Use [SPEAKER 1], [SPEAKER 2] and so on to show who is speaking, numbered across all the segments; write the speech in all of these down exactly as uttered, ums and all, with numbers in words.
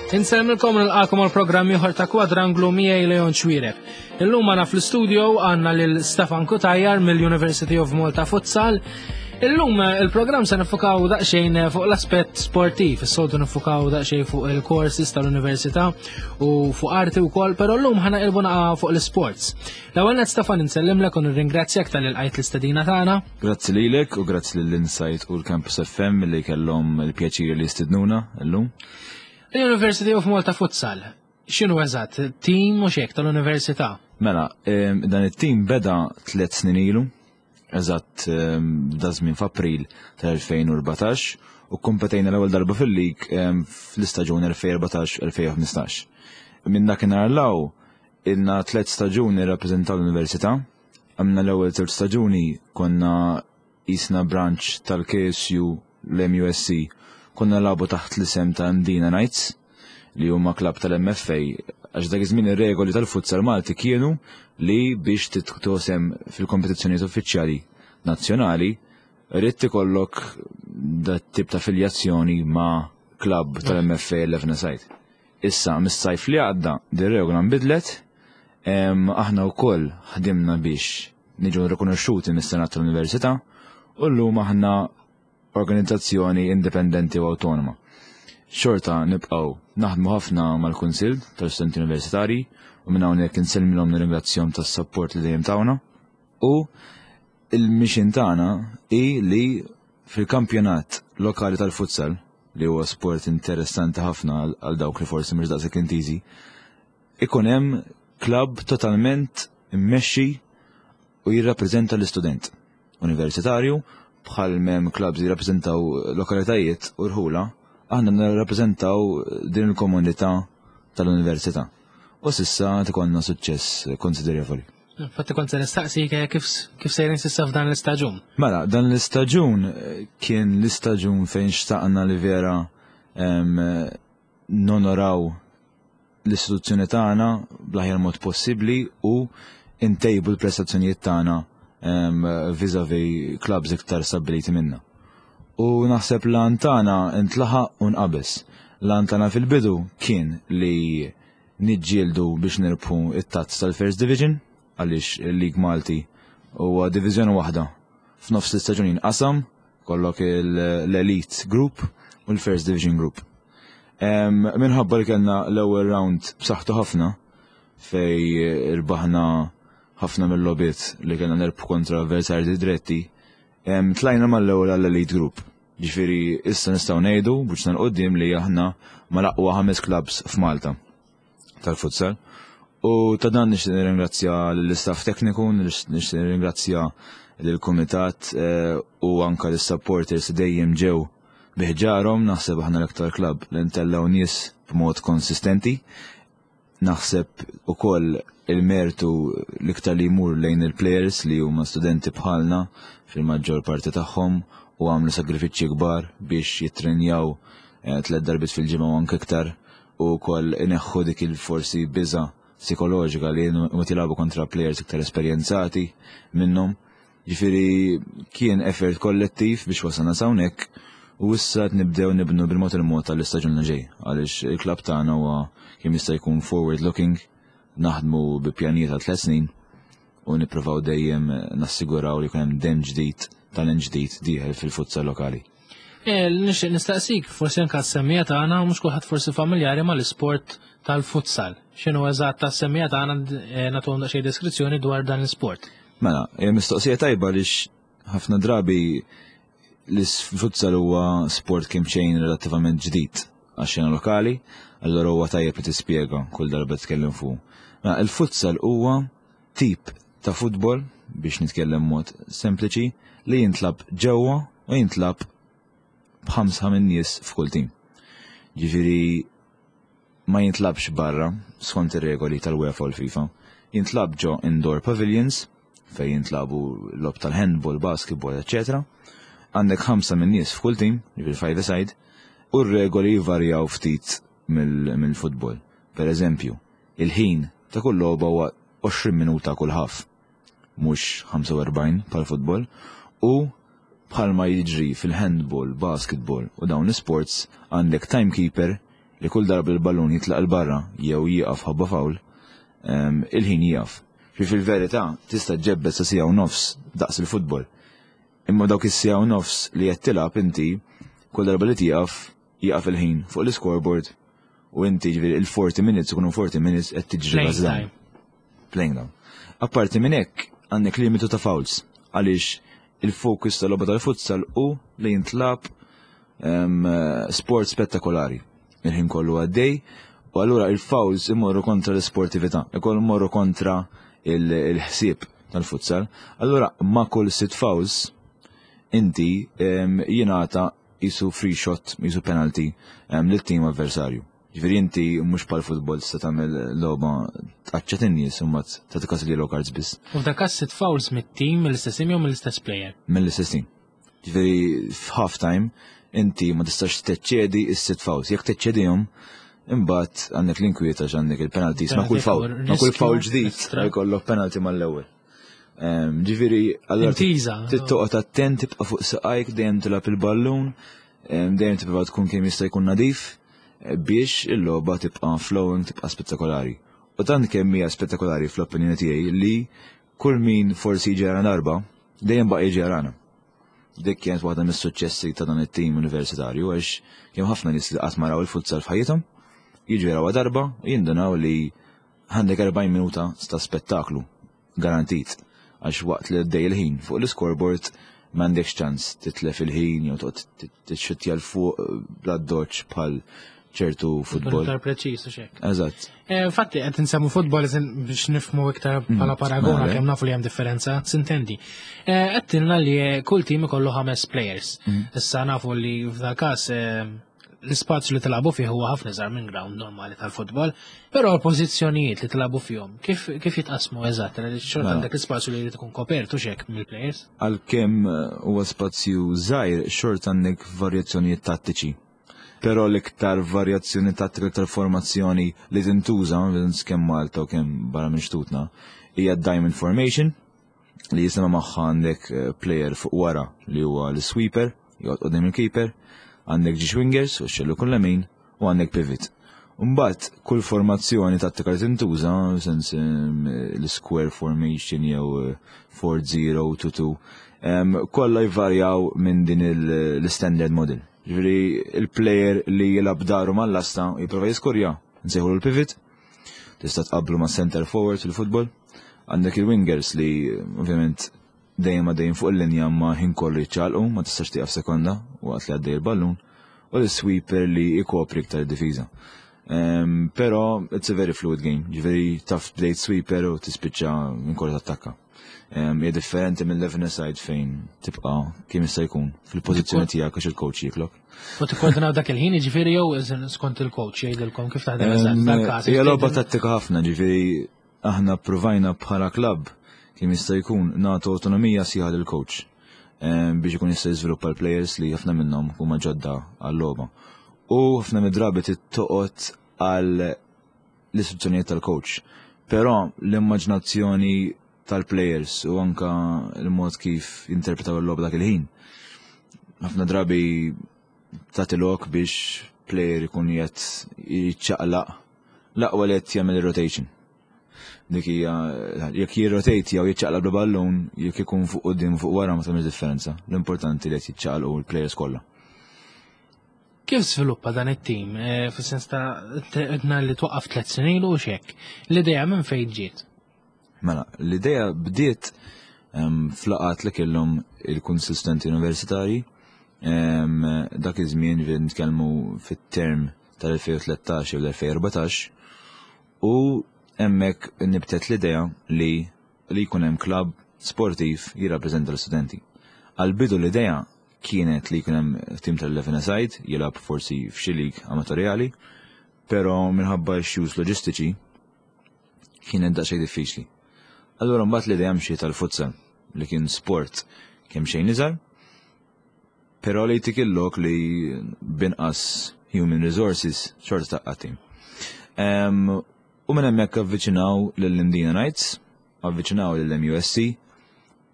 [SPEAKER 1] Insellmilkom, nilqagħkom għal programm ieħor ta' Kwadranglu miegħi, Leon Xuereb. Illum għandna fl-studio għandna lil Stefan Cutajar mill-University of Malta Futsal. Illum eh, il-programm se nifukaw daqsxejn fuq l-aspett sportiv, is-soltu nifukaw daqsxejn fuq il-courses tal-università u fuq arti wkoll, però llum ħa naqilbu naqa fuq l-sports. L-ewwel nett, Stefan, insellimlek u nirringrazzjak talli lqajt l-istedina tagħna.
[SPEAKER 2] Grazzi lilek u grazzi lill-Insight u l-Campus F M li kellhom il-pjaċir li jistidnuna llum.
[SPEAKER 1] L-University of Malta Futsal, x'inhu eżatt? Team u xek tal-università?
[SPEAKER 2] Mela, em, dan it-team beda tliet snin ilu, eżatt em, da żmien f'April tal-elfejn u erbatax, u kompetejna l-ewwel darba fil-lig em, fl-istaġun elfejn u erbatax-elfejn u ħmistax. Minn dakinhar 'l hawn ilna tliet staġuni rappreżentaw l-università. Għamna l-ewwel tliet staġuni konna jisna branch tal-K S U, l-M U S C, konna nilagħbu taħt l-isem ta' Mdina Knights, li huma klab tal-M F A, għax dak iż-żmien ir-regoli tal-futsal Malti kienu li biex titosem fil-kompetizzjonijiet uffiċjali nazzjonali rrid ikollok dat tip ta' filjazzjoni ma' klab tal-M F A eleven side. Issa, mis-sajf li għadda, din regola nbidlet, em, aħna wkoll ħdimna biex niġu rikonoxxuti mis-Senat tal-Università u llum aħna organizzazzjoni indipendenti u autonoma. Xorta nibqgħu naħdmu ħafna mal-Kunsill tal-Studenti Universitari u minn hawnhekk insellmilhom, nirringrazzjahom tas-support li dejjem tawna. U il-mission tagħna hi li fil-kampjonat lokali tal-futsal, li huwa sport interessanti ħafna għal- għal dawk li forsi mhux daqshekk intiżi, ikun hemm klabb totalment immexxi u jirrappreżenta l-istudent universitarju. Bħal m'hemm clubs jirrappreżentaw lokalitajiet u rħula, aħna nirrappreżentaw din il-komunità tal-università. U s'issa ikollna suċċess konsiderevoli.
[SPEAKER 1] Infatti kont se nistaqsik eh, kif kif sejrin s'issa f'dan l-istaġun.
[SPEAKER 2] Mela, dan l-istaġun eh, kien l-istaġun fejn xtaqna li vera em, nonoraw l-istituzzjoni tagħna bl-aħjar mod possibbli u intejbu l-prestazzjonijiet tagħna em, vis-a-vis clubs iktar stabiliti minna. U naħseb l-għan tagħna intlaħaq u nqabeż. L-għan tagħna fil-bidu kien li niġġieldu biex nirbħu it-tazz tal-First Division, għaliex il-League Malti huwa diviżjoni waħda. F'nofs l-istaġun jinqasam, kollok l-Elite Group u l-First Division Group. Em, Minħabba li kellna l-ewwel round b'saħħtu ħafna, fej irbaħna ħafna mill-logħbiet li kellna nerbħu kontra avversarji diretti, em, tlajna mal-ewwel għall-Elite Group. Ġifieri issa nistgħu ngħidu b'wiċċna 'l quddiem li aħna mal-aqwa ħames clubs f'Malta tal-futsal. U ta' dan nixtieq nirringrazzja l-istaff tekniku, nixtieq nirringrazzja lill-kumitat eh, u anka l-supporters li dejjem ġew bi ħġarhom. Naħseb aħna l-aktar club li ntellgħu nies b'mod konsistenti. Naħseb ukoll il-mertu l-iktar li jmur lejn il-players, li huma studenti bħalna fil-maġġor parti tagħhom u għamlu sagrifiċċji kbar biex jittrenjaw eh, tliet darbiet fil-ġimgħa u anke iktar, u wkoll ineħħu dik il-forsi biża psikoloġika li meta jilagħbu kontra players iktar esperjenzati minnhom. Ġifieri kien effort kollettiv biex wasalna hawnhekk u issa qed nibdew nibnu bil-mod il-mod tal-istaġun li ġej, għaliex il-klabb tagħna huwa kemm jista' jkun forward looking, naħdmu bi pjanijiet ta' tliet snin u nippruvaw dejjem nassiguraw li jkun hemm dem ġdid, talent ġdid dieħel fil-futsal lokali.
[SPEAKER 1] E, nixtieq nistaqsik, forsi anke s-semmiegħa tagħna mhux kulħadd forsi familjari mal-isport tal-futsal. X'inhu eżatt tas-semmiegħa tagħna, eh, nagħtuhom daqsxejn deskrizzjoni dwar dan l-isport?
[SPEAKER 2] Mela, hija mistoqsija tajba, għaliex ħafna drabi l-futsal huwa sport kemm xejn relattivament ġdid għax-xena lokali, allora huwa tajjeb li tispjega kull darba tkellem fuq. Mela, il-futsal huwa tip ta' futbol, biex nitkellem mod sempliċi, li jintlagħab ġewwa u jintlagħab b'ħamsa minn nies f'kull tim. Ġifieri ma jintlagħabx barra skont ir-regoli tal-UEFA u l-FIFA. Jintlagħab ġo indoor pavilions fejn jintlagħbu logħob tal-handball, basketball, eċċetera. Għandek ħamsa minn nies f'kull tim, ġifieri five side, u r-regoli jvarjaw ftit mill-futbol. Per eżempju, il-ħin ta' kull logħba huwa għoxrin minuta kull half, mhux ħamsa u erbgħin bħal futbol, u bħalma jiġri fil-handball, basketball u dawn l-sports, għandek timekeeper Li kull darba l-ballun jitlaq il-barra jew jieqaf ħabba foul, il-ħin jieqaf. Fi fil-verità tista' ġebbet sa siegħa u nofs daqs il-futbol. Imma dawk is-siegħa u nofs li qed tilgħab inti, kull darba li tieqaf, jieqaf il-ħin fuq l-scoreboard u inti, ġifieri, il-forty minutes ikunu forty minutes qed tiġri.
[SPEAKER 1] Playing.
[SPEAKER 2] Playing down. Apparti minn hekk, għandek limitu ta' fouls għaliex il-fokus tal-logħba tal-futsal u li jintlab sport spettakolari. Il-ħin kollu għaddej u allura il-fouls imorru kontra l-sportività, ikoll imorru kontra il-ħsieb tal-futsal. Allura ma' kull sitt fouls inti jingħata jisu free shot, jisu penalty lit-tim avversarju. Ġifieri inti mhux bħal futbol tista' tagħmel logħba tqaċċat in-nies u mbagħad tagħti każ yellow cards biss.
[SPEAKER 1] U f'dak każ sitt fouls mit-tim, mill-istess team jew mill-istess player?
[SPEAKER 2] Mill-istess team. Ġifieri f'half time inti ma tistax teċċedi is-sitt fouls. Jekk teċċedihom, imbagħad għandek l-inkwieta għandek il-penalties ma' kull foul. Ma' kull foul ġdid jkollok penalty mal-ewwel. Ġifieri
[SPEAKER 1] allura
[SPEAKER 2] trid attent, tibqa' fuq saqajk, dejjem tilgħab il-ballun, dejjem tibqa' tkun kemm jista' jkun nadif biex il-logħba tibqa' flowing, tibqa' spettakolari. U tant kemm hija spettakolari fl-opinjoni tiegħi li kull min forsi ġara darba, dejjem baqa' jiġi jarana. Dik kienet waħda mis-suċċessi ta' dan it-tim universitarju, għax kemm ħafna nies li qatt ma raw il-futsal f'ħajjithom, jiġu jaraw darba u jindunaw li għandek erbgħin minuta ta' spettaklu garantit, għax waqt li għaddej il-ħin fuq l-scoreboard m'għandekx ċans titlef il-ħin jew toqgħod tixxuttja 'l fuq bla doċ bħal ċertu futbol.
[SPEAKER 1] Iktar preċiż u xek.
[SPEAKER 2] Eżatt.
[SPEAKER 1] Eh, infatti qed insemmu futbol biex nifhmu iktar bħala paragona
[SPEAKER 2] mela.
[SPEAKER 1] kemm nafu li hemm differenza, sintendi. Eh, Qed tilna li kull tim ikollu ħames players. Issa nafu li f'dal każ eh, l-ispazju li tilagħbu fih huwa ħafna iżgħar minn ground normali tal-futbol, però l-pożizzjonijiet li tilagħbu fihom kif kif jitqasmu eżatt? Li xorta
[SPEAKER 2] Mela.
[SPEAKER 1] għandek l-ispazju li jrid ikun kopertu xek mill-players.
[SPEAKER 2] Għalkemm eh, huwa spazju żgħir, xorta għandek varjazzjonijiet tattiċi. Però l-iktar varjazzjoni tattika, l-iktar formazzjoni li tintuża, kemm Malta u kemm barra minn xtutna, hija Diamond Formation, li jisema magħha għandek eh, player fuq wara li huwa l-sweeper, joqgħod quddiem il-keeper, għandek żewġ wingers u xellug u lemin u għandek pivot. Mbagħad kull formazzjoni tattika li tintuża, sens em, l-square formation jew eh, four zero two two, em, kollha jvarjaw minn din il- l-standard model. Ġifieri il-player li jilgħab dahru mal-lasta jipprova jiskurja, nsejħu l-pivot, tista' tqablu ma' center forward fil-futbol. Għandek il-wingers li ovvjament dejjem għaddejjin fuq il-linja ma ħin kollu jiċċaqalqu, ma tistax tieqaf sekonda waqt li għaddej il-ballun, u l-sweeper li jkopri iktar difiża. Um, pero it's a very fluid game, ġifieri taf bdejt sweeper u tispiċċa minn kollu tattakka. Um, hija differenti minn eleven side fejn tibqa' kemm jista' jkun fil-pożizzjoni tiegħek għax il-coach jiklok.
[SPEAKER 1] U tikkoordinaw dak il-ħin, jiġifieri, jew iżin skont il-coach jgħidilkom kif taħdem eżatt dal-każ?
[SPEAKER 2] Hija logħba tattika ħafna, ġifieri aħna provajna bħala klabb kemm jista' jkun nagħtu autonomija sħiħa lill-coach em, biex ikun jista' jiżviluppa l-players li ħafna minnhom huma ġodda għal-logħba. U ħafna mid-drabi toqgħod għal l-istruzzjonijiet tal-coach. Però l-immaġinazzjoni tal-players u anka il-mod kif jinterpretaw il-logħba dak il-ħin, ħafna drabi tagħti lok biex player ikun qed jiċċaqlaq, l-aqwa li qed jagħmel rotation. Dik hija jekk jirrotate jew jiċċaqlaq bil-ballun, jekk ikun fuq quddiem, fuq wara, ma tagħmilx differenza. L-importanti li qed jiċċaqlqu l-players kollha.
[SPEAKER 1] Kif sviluppa dan it-tim? Eh, Fis-sens ta' għedna li twaqqaf tliet snin u xek. L-idea minn fejn ġiet?
[SPEAKER 2] Mela, l-idea bdiet em, f'laqgħat li kellhom il-Kunsill Studenti Universitari em, dak iż-żmien, ġifieri nitkellmu fit-term tal-elfejn u tlettax jew l-elfejn u erbatax, u hemmhekk nibtet l-idea li li jkun hemm klabb sportiv jirrappreżenta l-studenti. Għal-bidu l-idea kienet li jkun hemm tim tal-eleven side jilgħab forsi f'xi league amatorjali, però minħabba issues loġistiċi kienet daqsxejn diffiċli. Allura mbagħad l-idea mxiet tal-futsal, li kien sport kemm xejn iżgħar, però li jtik il-lok li binqas human resources xorta tgħaqqad tim. Em, U minn hemmhekk avviċinaw lill-Mdina Knights, avviċinaw lill-M U S C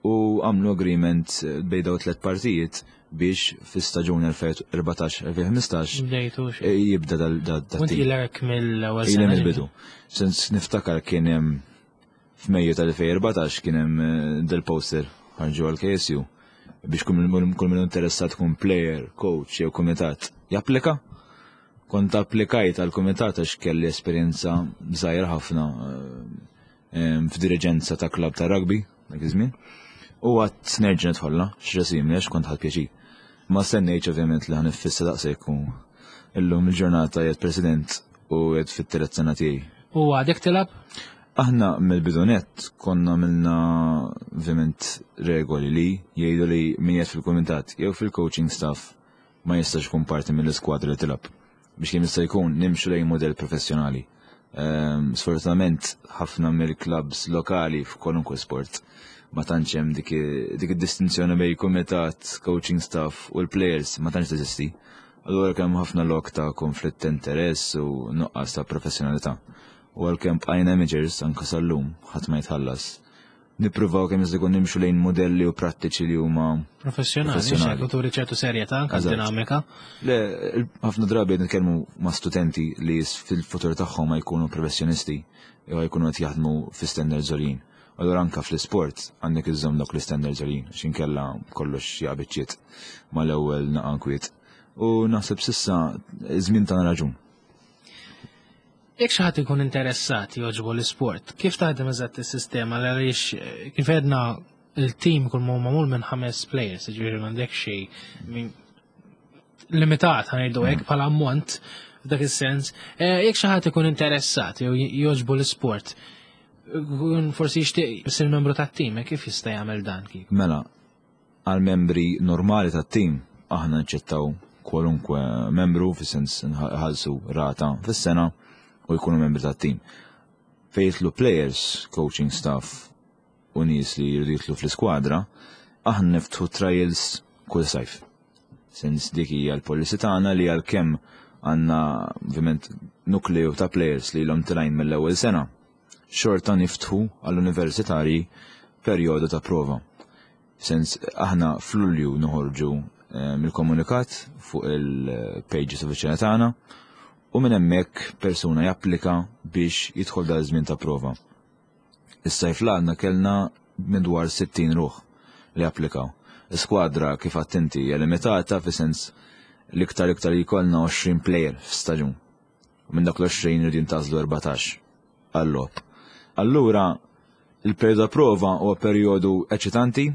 [SPEAKER 2] U għamlu agreement eh, bejn daw tliet partijiet biex fi-staġun elfejn u erbatax-elfejn u ħmistax
[SPEAKER 1] Bdejtu xi.
[SPEAKER 2] eh, jibda dal da, da
[SPEAKER 1] Kont
[SPEAKER 2] team.
[SPEAKER 1] ilek mill-ewwel
[SPEAKER 2] Ili
[SPEAKER 1] sena.
[SPEAKER 2] mill-bidu. Sens niftakar kien hemm f'Mejju tal-elfejn u erbatax kien hemm eh, del-poster ħarġu għal-K S U biex kull kull min interessat kun player, coach jew kumitat japplika. Kont applikajt għal kumitat għax kelli esperjenza żgħira ħafna eh, em, f'diriġenza ta' klab ta' rugby dak iż-żmien. U għedt nerġa' nidħolla, x'resim għax kont ħadt pjaċir. Ma stennejtx ovvjament li ħa niffissa daqshekk u illum il-ġurnata qiegħed president u qiegħed fit-tielet sena tiegħi.
[SPEAKER 1] U għadek tilgħab?
[SPEAKER 2] Aħna mill-bidu nett konna għamilna ovvjament regoli li jgħidu li min qiegħed fil-kumitat jew fil-coaching staff ma jistax ikun parti mill-iskwadra li tilgħab. Biex kemm jista' jkun nimxu lejn modell professjonali. Ehm, Sfortunatament ħafna mill-clubs lokali f'kwalunkwe sport ma tantx hemm dik dik id-distinzjoni bejn kumitat, coaching staff u l-players ma tantx teżisti. Allura kemm ħafna lok ta' konflitt ta' interess u nuqqas ta' professjonalità. U għalkemm bqajna amateurs anka sal-lum ħadd ma jitħallas. Nippruvaw kemm jista' jkun nimxu lejn modelli u prattiċi li huma
[SPEAKER 1] Professjonali,
[SPEAKER 2] Professjonali.
[SPEAKER 1] xek, turi ċertu serjetà, anka
[SPEAKER 2] Eżatt.
[SPEAKER 1] dinamika.
[SPEAKER 2] Le, il- ħafna drabi qed nitkellmu ma' studenti li s- fil-futur tagħhom ma jkunu professjonisti jew jkunu qed jaħdmu fi standards għoljin. Allura anka fl-isport għandek iżżomm dawk l-standards għoljin, għax inkella kollox jaqbiċċiet mal-ewwel naqa kwiet. U naħseb s'issa iż-żmien tagħna raġun.
[SPEAKER 1] Jekk xi ħadd ikun interessat jogħġbu l-isport, kif taħdem eżatt is-sistema għaliex eh, kif għedna il-team kull ma magħmul minn ħames players, ġifieri m'għandek xejn min- limitat ħa ngħidu hekk bħala ammont f'dak is-sens. Eh, Jekk xi ħadd ikun interessat jew jogħġbu l-isport, ikun forsi jixtieq isir membru tat-team, eh, kif jista' jagħmel dan kif?
[SPEAKER 2] Mela, għal membri normali tat-tim aħna nċettaw kwalunkwe membru fis-sens nħallsu rata fis-sena u jkunu membri tat-tim. Fejn jidħlu players, coaching staff u nies li jridu jidħlu fl-iskwadra, aħna niftħu trials kull sajf. Sens dik hija l-policy tagħna li għalkemm għandna ovvjament nukleu ta' players li ilhom telgħin mill-ewwel sena, xorta niftħu għall-universitarji perjodu ta' prova. Sens aħna f'Lulju noħorġu eh, mill-komunikat fuq il-pages uffiċjali tagħna u minn hemmhekk persuna japplika biex jidħol dal żmien ta' prova. Is-sajf l kellna madwar sittin ruħ li applikaw. L-skwadra kif attenti hija limitata fi sens l-iktar iktar li jkollna għoxrin player f'staġun. U minn dak l-għoxrin jridu jintgħażlu erbatax għall-logħob. Allura il-perjodu ta' prova huwa perjodu eċitanti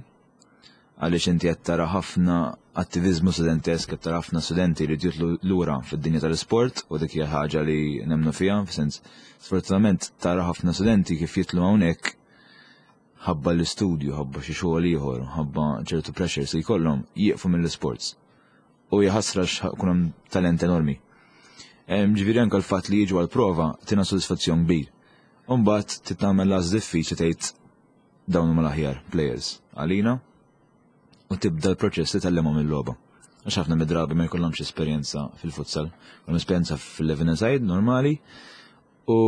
[SPEAKER 2] għaliex inti qed tara ħafna attivizmu studentesk, qed tara ħafna studenti li jidħlu lura fid-dinja tal-isport u dik hija ħaġa li nemmnu fiha, f'sens sfortunatament tara ħafna studenti kif jidħlu hawnhekk ħabba l-istudju, ħabba xi xogħol ieħor, ħabba ċertu pressures li jkollhom jieqfu mill-isports. U jħassra kun hemm talent enormi. Em, Ġifieri anke l-fatt li jiġu għal-prova tina sodisfazzjon kbir. Umbagħad titgħamel las diffiċli tgħid dawn huma l-aħjar players għalina u tibda l-proċess li tgħallimhom il-logħba. Għax ħafna mid-drabi ma jkollhomx esperjenza fil-futsal, jkollhom esperjenza fil-eleven side normali u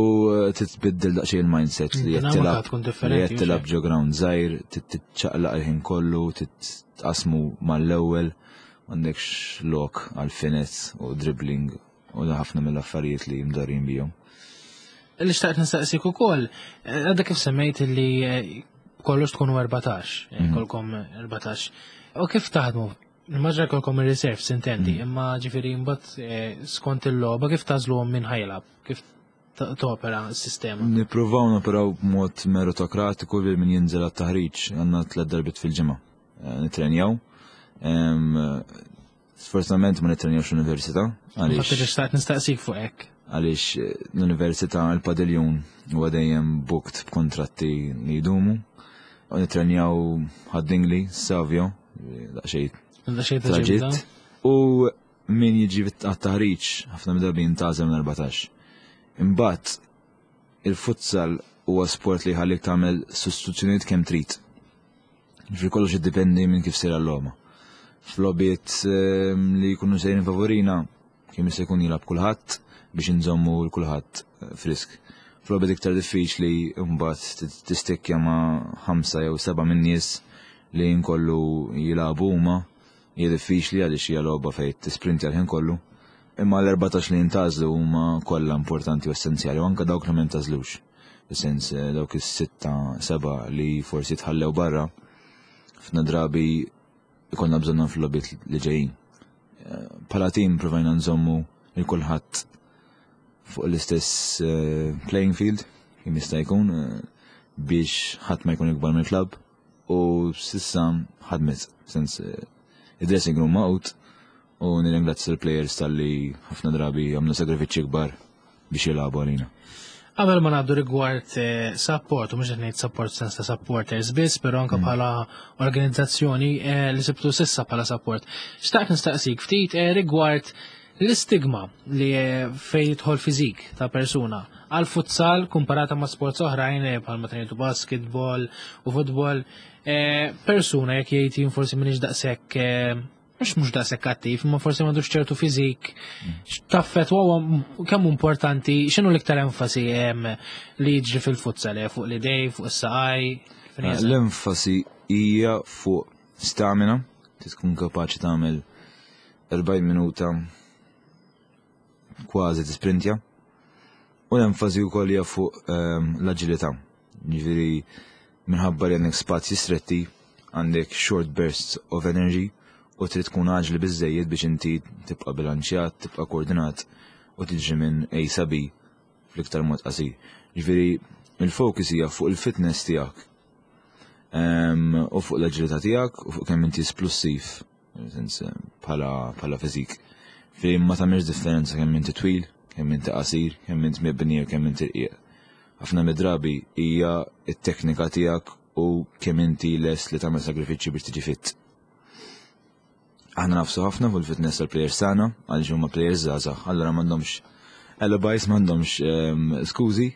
[SPEAKER 2] titbiddel daqsxejn il-mindset li qed
[SPEAKER 1] Dinamika
[SPEAKER 2] tilgħab
[SPEAKER 1] tkun
[SPEAKER 2] li
[SPEAKER 1] differenti,
[SPEAKER 2] qed tilgħab ġo ground żgħir, titċaqlaq il-ħin kollu, titqasmu mal-ewwel, m'għandekx lok għal finesse u dribbling u da ħafna mill-affarijiet li mdarrin bihom.
[SPEAKER 1] Li xtaqt nistaqsik ukoll, eh, għadha kif semmejt li eh, kollox tkunu erbatax, eh, kolkom erbatax. U kif taħdmu? Immaġina kolkom il-reserve sintendi, imma ġifieri mbagħad eh, skont il-logħba kif tagħżluhom min ħa jilgħab, kif t- topera s-sistema?
[SPEAKER 2] Nippruvaw noperaw b'mod meritokratiku li min jinżel għat-taħriġ għandna tliet darbiet fil-ġimgħa. Eh, Nitrenjaw. Em, Sfortunatament ma nitrenjawx l-università
[SPEAKER 1] Fatt
[SPEAKER 2] għaliex
[SPEAKER 1] li xtaqt nistaqsik fuq hekk.
[SPEAKER 2] għaliex eh, l-università il-padiljun huwa dejjem booked b'kontratti li jdumu. U nitrenjaw Ħad-Dingli, Savio, daqsxejn
[SPEAKER 1] Daqsxejn ta'
[SPEAKER 2] traġitt.
[SPEAKER 1] ġibda.
[SPEAKER 2] U min jiġi għat-taħriġ ħafna mid-drabi jintgħażel minn erbatax. Imbagħad il-futsal huwa sport li jħallik tagħmel sostituzzjonijiet kemm trid. Ġifieri kollox jiddependi minn kif sejra l-logħba. F'logħbiet ehm, li jkunu sejrin favorina kemm jista' jkun jilgħab kulħadd biex inżommu l kulħadd eh, frisk. F'logħbiet iktar diffiċli mbagħad tistikkja ma' ħamsa jew seba' minn nies Li nkollu jilagħbu huma hija diffiċli għaliex hija logħba fejn tisprintja l-ħin kollu. Imma l-erbatax li jintgħażlu huma kollha importanti u essenzjali, u anke dawk li ma jintgħażlux. Fis-sens eh, dawk is-sitta, seba' li forsi tħallew barra, ħafna drabi ikollna bżonnhom fil-logħbiet li ġejjin. Eh, bħala tim provajna nżommu lil kulħadd fuq l-istess eh, playing field, kemm jista' jkun, eh, biex ħadd ma jkun ikbar mill-klabb u s'issa ħadmet, sens eh, id-dressing room magħqud u nirringrazzja l-players talli ħafna drabi għamlu sagrifiċċji kbar biex jilagħbu għalina.
[SPEAKER 1] Qabel ma ngħaddu rigward eh, support, u mhux qed ngħid support sens ta' supporters biss, però anke bħala organizzazzjoni eh, li sibtu s'issa bħala support. Xtaqt nistaqsik ftit eh, rigward l-istigma li eh, fejn jidħol fiżik ta' persuna għal futsal komparata ma' sports oħrajn eh, bħal ma tgħidu basketball u futbol, eh, persuna jekk jgħid jien forsi m'iniex daqshekk eh, mhux mhux daqshekk attiv, imma forsi m'għandux ċertu fiżik, x'taffet huwa kemm importanti, x'inhu l-iktar enfasi em, li jiġri fil-futsal, eh, fuq l-idej, fuq is-saqaj? Fejn jeżatt?
[SPEAKER 2] L-enfasi hija fuq stamina, trid tkun kapaċi tagħmel erbgħin minuta kważi tisprintja. U l-enfasi wkoll hija fuq ehm, l-aġilità. Ġifieri minħabba li għandek spazji stretti, għandek short bursts of energy u trid tkun aġli biżejjed biex inti tibqa' bilanċjat, tibqa' koordinat u tiġi minn A sa B fl-iktar mod qasir. Ġifieri il-focus hija fuq il-fitness tiegħek Ehm, u fuq l-aġilità tiegħek u fuq kemm inti esplussiv sens bħala bħala fiżik. Fejn ma tagħmilx differenza kemm inti twil, kemm inti qasir, kemm inti mibni u kemm inti rqiq. Ħafna mid-drabi hija t-teknika tiegħek u kemm inti lest li tagħmel sagrifiċċji biex tiġi fit. Aħna nagħfsu ħafna fuq il-fitness tal-players tagħna għaliex huma players żgħażagħ, allura m'għandhomx alibis, m'għandhomx ehm, skużi,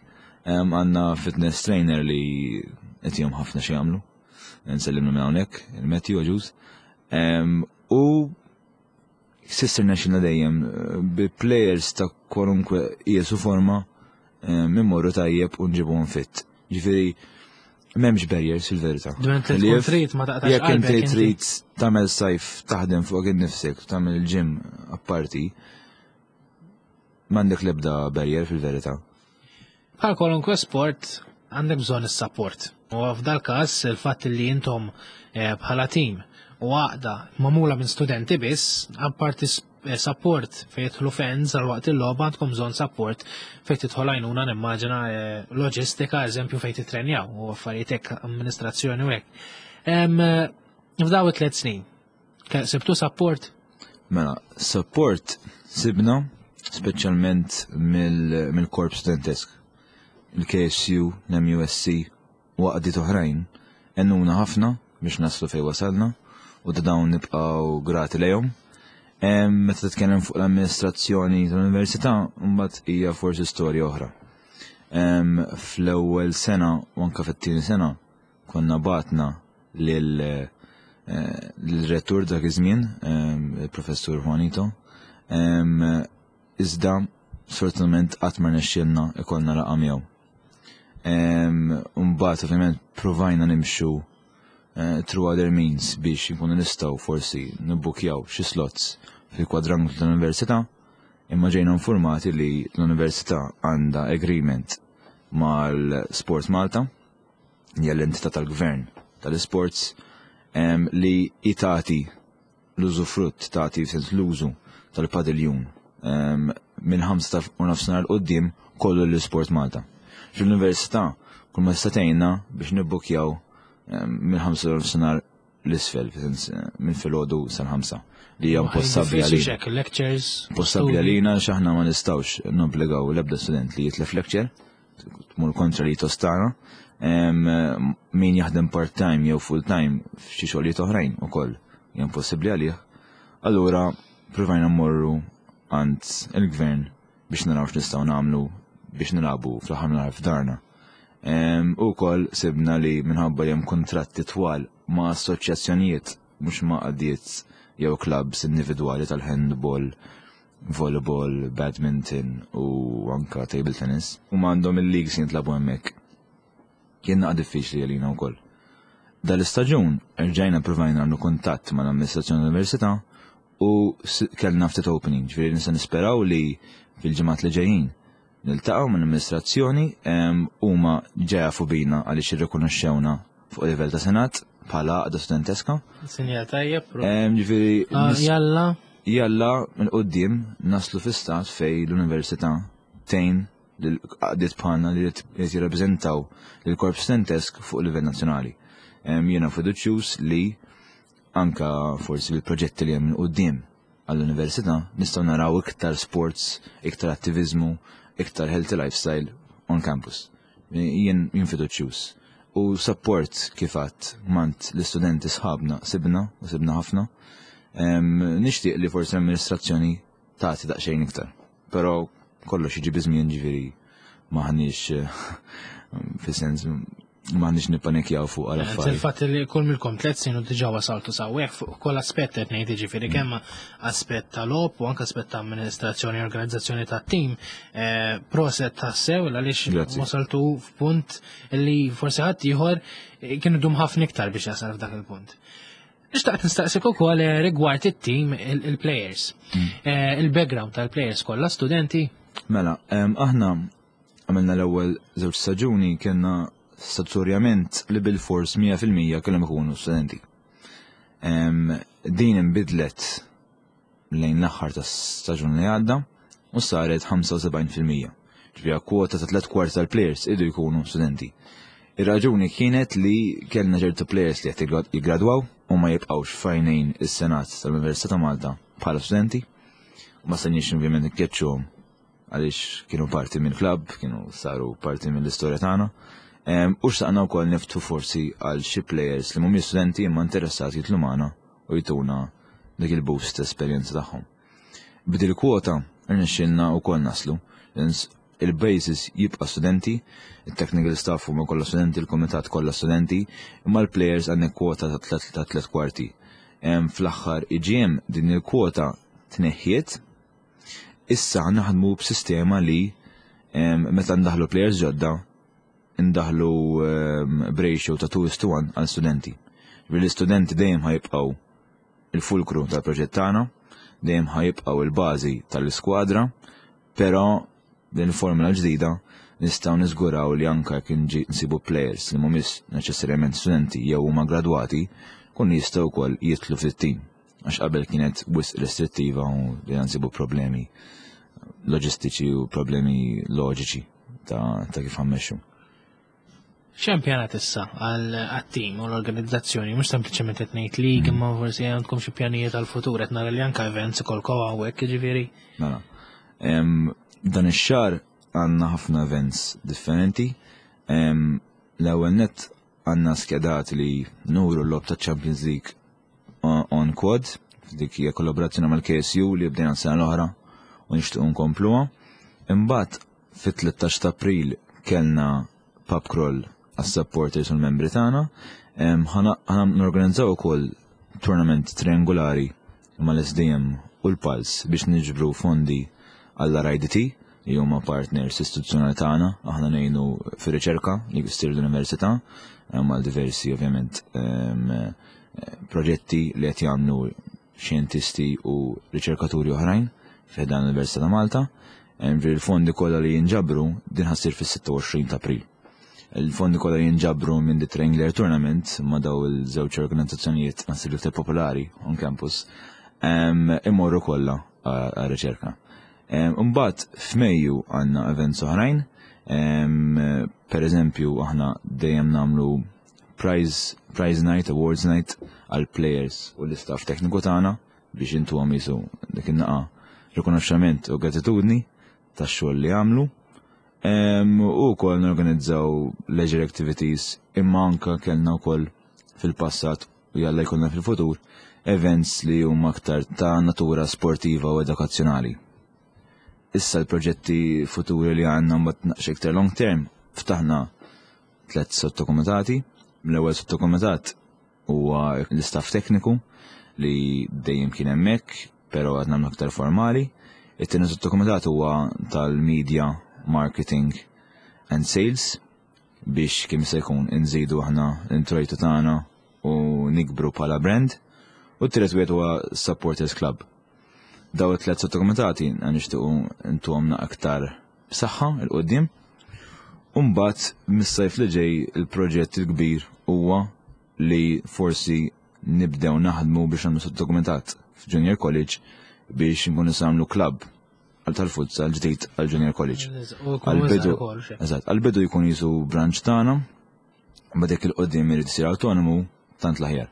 [SPEAKER 2] Ehm, għandna fitness trainer li qed jagħmel ħafna xi jagħmlu. Nsellimlu minn hawnhekk, il-Matthew Agius. Ehm, U s'issa rnexxielna dejjem eh, bi players ta' kwalunkwe qies u forma ehm, immorru tajjeb u nġibuhom fit. Ġifieri m'hemmx barriers fil-verità.
[SPEAKER 1] Dment li tkun trid ma taqtax
[SPEAKER 2] Jekk inti
[SPEAKER 1] qalbek inti.
[SPEAKER 2] trid tagħmel sajf taħdem fuq innifsek, tagħmel il-gym apparti, m'għandek l-ebda barrier fil-verità.
[SPEAKER 1] Bħal kwalunkwe sport għandek bżonn is-support. U f'dal każ il-fatt li intom eh, bħala tim u għaqda magħmula minn studenti biss, apparti s- eh, support fejn jidħlu fans għal waqt il-logħba, għandkom bżonn support fejn tidħol għajnuna, nimmaġina, eh, loġistika, eżempju fejn titrenjaw u affarijiet hekk, amministrazzjoni u hekk. Em, eh, F'daw it-tliet snin, ke- sibtu support?
[SPEAKER 2] Mela, support sibna speċjalment mill- mill-korp studentesk. Il-K S U, l-M U S C u għaqdiet oħrajn għenuna ħafna biex naslu fej wasalna u ta' dawn nibqgħu grati lejhom. Em, Meta titkellem fuq l-amministrazzjoni tal-università, mbagħad hija forsi storja oħra. Em, Fl-ewwel sena u anke fit-tieni sena konna bgħatna lil eh, l-rettur dak iż-żmien, em, il-professur Juanito, em, iżda sfortunatament qatt ma rnexxielna ikollna laqgħa miegħu. Em, Mbagħad ovvjament provajna nimxu eh, through other means biex nkunu nistgħu forsi nibbukjaw xi slots fil-kwadranglu tal-università, imma ġejna informati li l-università għandha agreement mal-Sport Malta, hija l-entità tal-gvern tal-sports, em, li tagħti l-użufrutt, tagħti sens l-użu tal-padiljun em, minn ħamsa u nofsinhar 'l quddiem kollu l-Sport Malta. Fl-università kull ma statejna biex nibbukjaw em, minn ħamsa u nofsinhar 'l isfel, fis-sens eh, minn filgħodu sal-ħamsa, li hija impossibbli
[SPEAKER 1] Diffiċli
[SPEAKER 2] għalina.
[SPEAKER 1] xek, lectures.
[SPEAKER 2] Possibbli
[SPEAKER 1] studi.
[SPEAKER 2] għalina x'aħna ma nistgħux nobbligaw l-ebda student li jitlef lecture, tmur kontra li tostana. Em, Min jaħdem part-time jew full-time f'xi xogħlijiet oħrajn ukoll hija impossibbli għalih. Allura provajna mmorru għand il-gvern biex naraw x'nistgħu nagħmlu biex nilagħbu fl-aħħar mill f'darna. Em, U wkoll sibna li minħabba li hemm kontratti twal ma' assoċjazzjonijiet, mhux ma' għaqdiet jew clubs individwali tal-handball, volleyball, badminton u anka table tennis. U għandhom il-leagues jintlabu hemmhekk. Kien naqa diffiċli għalina wkoll. Dal-istaġun rġajna provajna nagħmlu kuntatt mal-amministrazzjoni tal-Università u kellna ftit opening, ġifieri nista' nisperaw li fil-ġimgħat li ġejjin niltaqgħu mal-amministrazzjoni. Huma ġa jafu bina għaliex irrikonoxxewna fuq livell ta' senat bħala għaqda studenteska.
[SPEAKER 1] Sinjal tajjeb.
[SPEAKER 2] Ġifieri
[SPEAKER 1] ah, jalla.
[SPEAKER 2] Jalla minn quddiem naslu fi stat fej l-università tgħin l-għaqdiet bħalna li qed jirrappreżentaw lill-korp studentesk fuq livell nazzjonali. Jiena fiduċjuż li anka forsi bil-proġetti li hemm quddiem għall-università nistgħu naraw iktar sports, iktar attivizmu, iktar healthy lifestyle on campus. Jien jien fiduċjuż. U support kif għedt mingħand l-istudenti sħabna sibna u sibna ħafna. Nixtieq li forsi l-amministrazzjoni tagħti daqsxejn iktar. Però kollox jiġi biż-żmien, ġifieri m'aħniex, fis-sens, m'aħniex nippanikjaw fuq għal affarijiet.
[SPEAKER 1] Il-fatt li kull minnkom tliet snin u diġà wasaltu s'hawnhekk fuq kull aspett qed ngħid, ġifieri kemm aspett ta' logħob u anke aspett ta' amministrazzjoni e organizzazzjoni ta' tim, eh, proset tassew għaliex wasaltu f'punt li forsi ħadd ieħor kienu dum ħafna iktar biex jasal f'dak il-punt. Nixtaqt nistaqsik ukoll eh, rigward it-team, il-players. Mm. Eh, il-background tal-players kollha studenti?
[SPEAKER 2] Mela, aħna għamilna l-ewwel żewġ staġuni kellna statutorjament li bil-fors mija fil-mija kellhom ikunu studenti. Din inbidlet lejn l-aħħar ta' staġun li għadda u saret ħamsa u sebgħin fil-mija. Ġifieri kwota ta' tliet kwart tal-players iridu jkunu studenti. Ir-raġuni kienet li kellna ċertu players li qed jiggradwaw u ma jibqgħux f'għajnejn is-Senat tal-Università ta' Malta bħala studenti. U ma stajniex ovvjament nkeċċuhom għaliex kienu parti minn club, kienu saru parti mill-istorja tagħna. U xtaqna wkoll niftħu forsi għal xi players li mhumiex studenti imma interessati jitilgħu magħna u jtuna dik il-boost esperjenza tagħhom. B'dil kwota rnexxilna wkoll naslu. Il-basis jibqa' studenti, il-technical staff huma kollha studenti, il-kumitat kollha studenti, imma l-players għandek kwota ta' tliet kwarti. Fl-aħħar E G M din il-kwota tneħħiet, issa naħdmu b'sistema li meta ndaħlu players ġodda ndaħlu b'ratio ta' two to one għal studenti. L-istudenti dejjem ħa jibqgħu il-fulkru tal-proġett tagħna, dejjem ħa jibqgħu il-bażi tal-iskwadra, però din il-formula ġdida nistgħu niżguraw li anka jekk nsibu players li mhumiex neċessarjament studenti jew huma gradwati, kun jistgħu wkoll jitilgħu fit-tim. Għax qabel kienet wisq restrittiva u li nsibu problemi loġistiċi u problemi loġiċi ta', ta kif ħa mmexxu.
[SPEAKER 1] X'hemm pjanat issa għal-tim u l-organizzazzjoni, mhux sempliċement qed ngħid league, imma forsi għandkom xi pjanijiet għal-futur, qed nara li anke events ikolkom hawnhekk, jiġifieri.
[SPEAKER 2] Mela. Dan ix-xahar għandna ħafna events differenti. L-ewwel net għandna skedat li nuru l-logħob ta' Champions League on quad, dik hija kollaborazzjoni mal-K S U li bdejna sena l-oħra u nixtiequ nkompluha. Imbagħad fit-tlettax ta' April kellna pub crawl għas-supporters u l-membri tagħna. Ħa norganizzaw ukoll tournament triangolari mal-S D M u l-Pulse biex niġbru fondi għall-R I D T li huma partners istituzzjonali tagħna, aħna ngħinu fir-riċerka li jsir l-università għal diversi ovvjament proġetti li qed jagħmlu xjentisti u riċerkaturi oħrajn fi dan l-Università ta' Malta. Il-fondi kollha li jinġabru, din ħa ssir fis-sitta u għoxrin ta' April. Il-fondi kollha jinġabru minn The Triangular Tournament ma' daw il-żewġ organizzazzjonijiet nasib iktar popolari on campus imorru kollha għar-riċerka. Imbagħad f'Mejju għandna events oħrajn, per eżempju aħna dejjem nagħmlu prize, prize night, awards night għal players u l-istaff tekniku tagħna biex intu għamisu dik in-naqa rikonoxxament u gratitudni tax-xogħol li għamlu. U wkoll norganizzaw leisure activities, imma anka kellna wkoll fil-passat u jalla jkollna fil-futur events li huma aktar ta' natura sportiva u edukazzjonali. Issa l-proġetti futuri li għandna mbagħad naqx iktar long term, ftaħna tliet sottokomitati. L-ewwel sottokomitat huwa l-istaff tekniku li dejjem kien hemmhekk, però għadna aktar formali. It-tieni sottokomitat huwa tal-media, marketing and sales biex kemm se jkun inżidu aħna l-introjtu tagħna. u nikbru bħala brand, u t-tielet wieħed huwa Supporters Club. Daw it-tliet sottokomitati nixtiequ ntuhomna aktar b'saħħa 'l quddiem. U mbagħad mis-sajf li ġej il-proġett il-kbir huwa li forsi nibdew naħdmu biex nagħmlu sottokomitat f'Junior College biex nkunu nagħmlu club għal tal-futsal ġdid għal Junior College.
[SPEAKER 1] U jkun
[SPEAKER 2] Għal-bidu,
[SPEAKER 1] iżgħar ukoll, xe.
[SPEAKER 2] eżatt, għal-bidu jkun jisu branch tagħna, ma dik il-qoddim irid isir autonomu tant l-aħjar.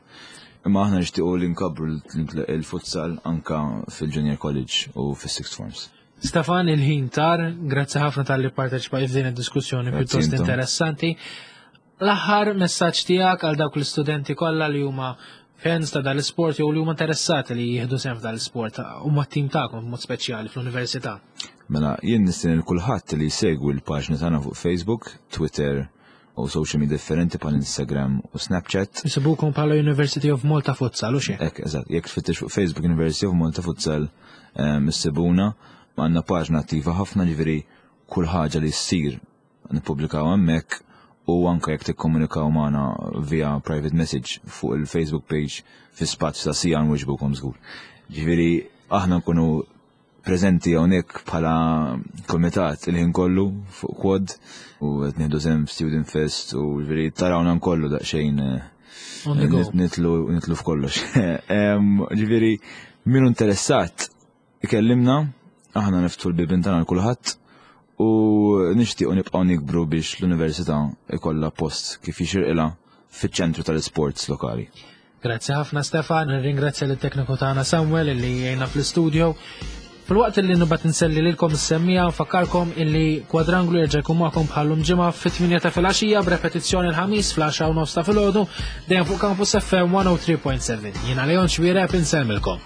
[SPEAKER 2] Imma aħna nixtiequ li nkabbru l- il-futsal anka fil-Junior College u fis-sixth forms.
[SPEAKER 1] Stefan, il-ħin tar, grazzi ħafna talli parteċipajt f'din id-diskussjoni
[SPEAKER 2] Grazzi
[SPEAKER 1] pjuttost
[SPEAKER 2] intom.
[SPEAKER 1] interessanti. L-aħħar messaġġ tiegħek għal dawk l-istudenti kollha li huma fans ta' dal-isport jew li huma interessati li jieħdu sehem f'dal-isport huma t-tim tagħkom b'mod speċjali fl-università.
[SPEAKER 2] Mela, jien nistieden lil kulħadd li jsegwi l-paġni tagħna fuq Facebook, Twitter u social media differenti bħal Instagram u Snapchat.
[SPEAKER 1] Isibukom bħala University of Malta Futsal u xi.
[SPEAKER 2] Ek, eżatt, jekk tfittex fuq Facebook University of Malta Futsal em, issibuna, għandna paġna attiva ħafna, ġifieri kull ħaġa li ssir nippubblikaw hemmhekk u anke jekk tikkomunikaw magħna via private message fuq il-Facebook page, fi spazju ta' siegħa nwiġbukom żgur. Ġifieri aħna nkunu preżenti hawnhekk bħala komitat il-ħin kollu fuq quad u qed nieħdu sehem Student Fest u ġifieri tarawna nkollu daqsxejn eh,
[SPEAKER 1] On the go.
[SPEAKER 2] nit- nitlu nitlu f'kollox. Em, Ġifieri min interessat ikellimna, aħna niftħu l-bibien tagħna lil kulħadd u nixtiequ nibqgħu nikbru biex l-università ikollha post kif jixirqilha fiċ-ċentru tal-sports lokali.
[SPEAKER 1] Grazzi ħafna, Stefan, nirringrazzja lit-tekniku tagħna Samuel illi jgħinna fl-istudio. Fil-waqt illi nibgħat inselli lilkom is-semmiegħa, nfakkarkom illi Kwadranglu jerġa' jkun magħkom bħallum ġimgħa fit-tmienja ta' filgħaxija, b'repetizzjoni l-Ħamis fl-għaxra u nofs ta' filgħodu, dejjem fuq Campus F M one oh three point seven. Jiena Leon Xwireb, insellmilkom.